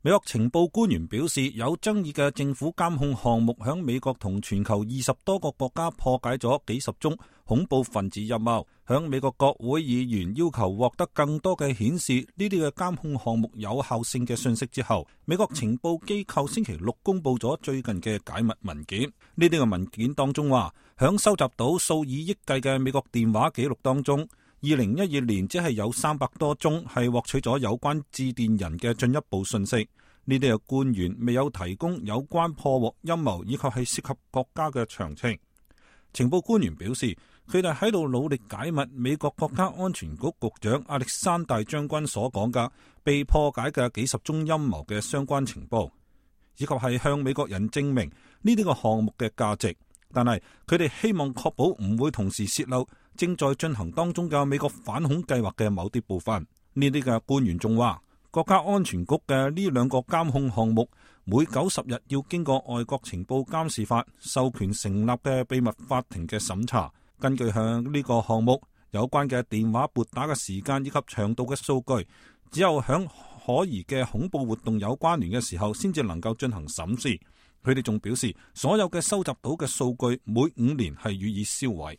美國情報官員表示，有爭議嘅政府監控項目響美國同全球20多個國家破解咗幾十宗恐怖分子陰謀。響美國國會議員要求獲得更多嘅顯示呢啲嘅監控項目有效性嘅信息之後，美國情報機構星期六公布咗最近嘅解密文件。呢啲嘅文件當中話，響收集到數以億計嘅美國電話記錄當中，2012年只係有300多宗係獲取咗有關致電人嘅進一步信息。呢啲嘅官員未有提供有關破獲陰謀以及係涉及國家嘅詳情。情報官員表示，佢哋喺度努力解密美國國家安全局局長亞歷山大將軍所講嘅被破解嘅幾十宗陰謀嘅相關情報，以及係向美國人證明呢啲個項目嘅價值。但係佢哋希望確保唔會同時洩漏正在進行當中嘅美國反恐計劃嘅某啲部分。呢啲嘅官員仲話，國家安全局嘅呢2個監控項目每90日要經過外國情報監視法授權成立嘅秘密法庭嘅審查。根據向呢個項目有關嘅電話撥打嘅時間以及長度嘅數據，只有響可疑嘅恐怖活動有關聯嘅時候先至能夠進行審視。佢哋仲表示，所有嘅收集到嘅數據每5年係予以銷毀。